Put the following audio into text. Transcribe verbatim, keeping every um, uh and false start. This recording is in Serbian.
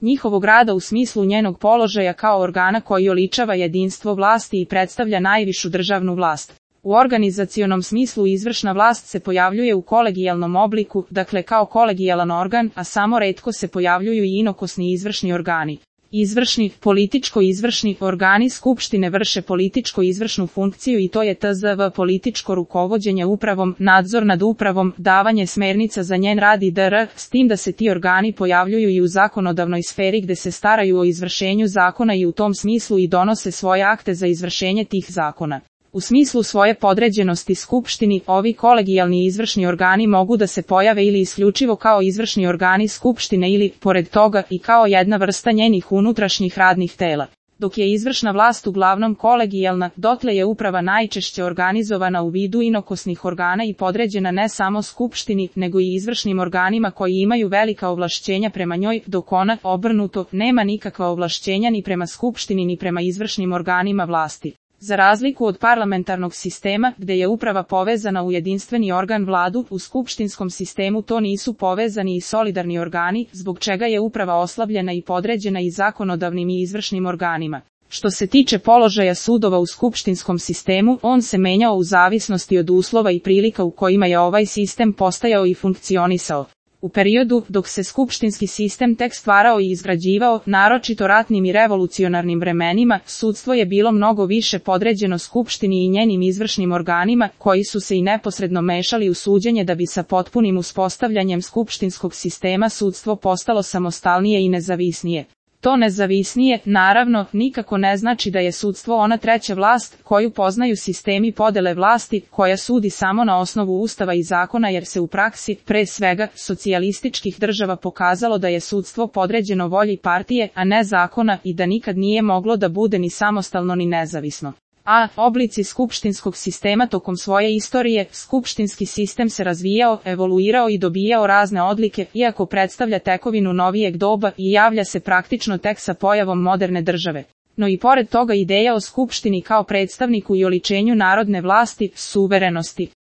njihovog rada u smislu njenog položaja kao organa koji oličava jedinstvo vlasti i predstavlja najvišu državnu vlast. U organizacionom smislu izvršna vlast se pojavljuje u kolegijalnom obliku, dakle kao kolegijalan organ, a samo retko se pojavljuju i inokosni izvršni organi. Izvršni, političko-izvršni organi skupštine vrše političko-izvršnu funkciju i to je tzv. Političko rukovođenje upravom, nadzor nad upravom, davanje smernica za njen rad i dr. s tim da se ti organi pojavljuju i u zakonodavnoj sferi gde se staraju o izvršenju zakona i u tom smislu i donose svoje akte za izvršenje tih zakona. U smislu svoje podređenosti skupštini, ovi kolegijalni izvršni organi mogu da se pojave ili isključivo kao izvršni organi skupštine ili, pored toga, i kao jedna vrsta njenih unutrašnjih radnih tela. Dok je izvršna vlast uglavnom kolegijalna, dotle je uprava najčešće organizovana u vidu inokosnih organa i podređena ne samo skupštini, nego i izvršnim organima koji imaju velika ovlašćenja prema njoj, dok ona, obrnuto, nema nikakva ovlašćenja ni prema skupštini ni prema izvršnim organima vlasti. Za razliku od parlamentarnog sistema, gde je uprava povezana u jedinstveni organ vladu, u skupštinskom sistemu to nisu povezani i solidarni organi, zbog čega je uprava oslabljena i podređena i zakonodavnim i izvršnim organima. Što se tiče položaja sudova u skupštinskom sistemu, on se menjao u zavisnosti od uslova i prilika u kojima je ovaj sistem postajao i funkcionisao. U periodu dok se skupštinski sistem tek stvarao i izgrađivao, naročito ratnim i revolucionarnim vremenima, sudstvo je bilo mnogo više podređeno skupštini i njenim izvršnim organima, koji su se i neposredno mešali u suđenje da bi sa potpunim uspostavljanjem skupštinskog sistema sudstvo postalo samostalnije i nezavisnije. To nezavisnije, naravno, nikako ne znači da je sudstvo ona treća vlast, koju poznaju sistemi podele vlasti, koja sudi samo na osnovu ustava i zakona jer se u praksi, pre svega, socijalističkih država pokazalo da je sudstvo podređeno volji partije, a ne zakona i da nikad nije moglo da bude ni samostalno ni nezavisno. A. Oblici skupštinskog sistema tokom svoje istorije, skupštinski sistem se razvijao, evoluirao i dobijao razne odlike, iako predstavlja tekovinu novijeg doba i javlja se praktično tek sa pojavom moderne države. No i pored toga ideja o skupštini kao predstavniku i oličenju narodne vlasti, suverenosti,